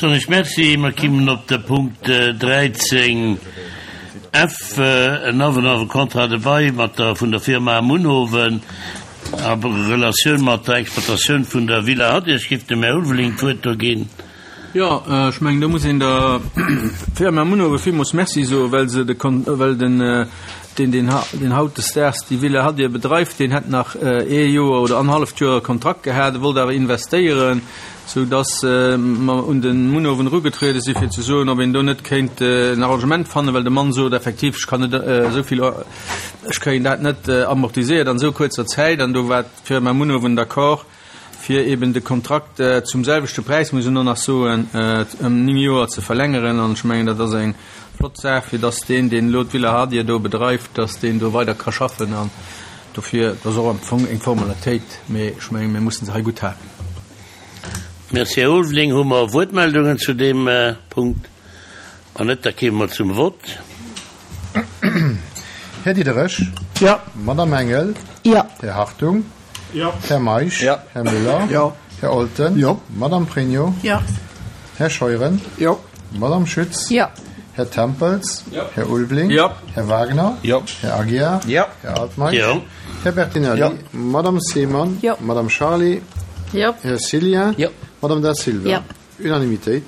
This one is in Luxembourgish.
Soen ech Merci. Mer kimmen op de Punkt 13 F, en Avenant au contrat de bail mat der vun der Firma Munhowen a Relatioun mat der Exploitatioun vun der Villa Hadir. Ech géif dem Här Ulveling d'Wuert do ginn. Jo, ech mengen, do muss een der Firma Munhowen villmools Merci soen, well se de Kon-, well den, deen, deen, deen hautdesdaags déi Villa Hadir bedreift, deen hätt nach ee Joer oder annerhalleft Joer Kontrakt gehat, e wollt awer investéieren, sou dass mer un de Munhowen erugetruede si fir ze soen, ob een do net kéint en Arrangement fannen, well de Mann sot effektiv, ech kann net esou vill, ech kréien dat net amortiséiert an esou kuerzer Zäit. An do war d'Firma Munhowen d'accord, fir eben de Kontrakt zum selwechte Präis, muss een och nach soen, ëm 9 Joer ze verlängeren. An ech mengen, dat ass eng flott Saach, fir dass deen, deen elo d'Villa Hadir do bedreift, dass deen do weider ka schaffen. An dofir, dat ass och am Fong eng Formalitéit, mee ech mengen, mir mussen se hei gutt halen. Merci, Här Ulveling. Hu mer Wuertmeldungen zu deem Punkt? Wann net, da kéime mer zum Vott. Här Diderich. Jo. Madame Engel. Jo. Här Hartung. Jo. Här Meisch. Jo. Här Müller. Jo. Här Olten. Jo. Madame Pregno. Jo. Här Scheuren. Jo. Madame Schütz. Jo. Här Tempels. Jo. Här Ulveling. Jo. Här Wagner. Jo. Här Aguiar. Jo. Här Altmeisch. Jo. Här Bertinelli. Jo. Madame Seemann. Jo. Madame Charlé. Jo. Här Cillien. Jo. Madame Da Silva. Jo. Unanimitéit.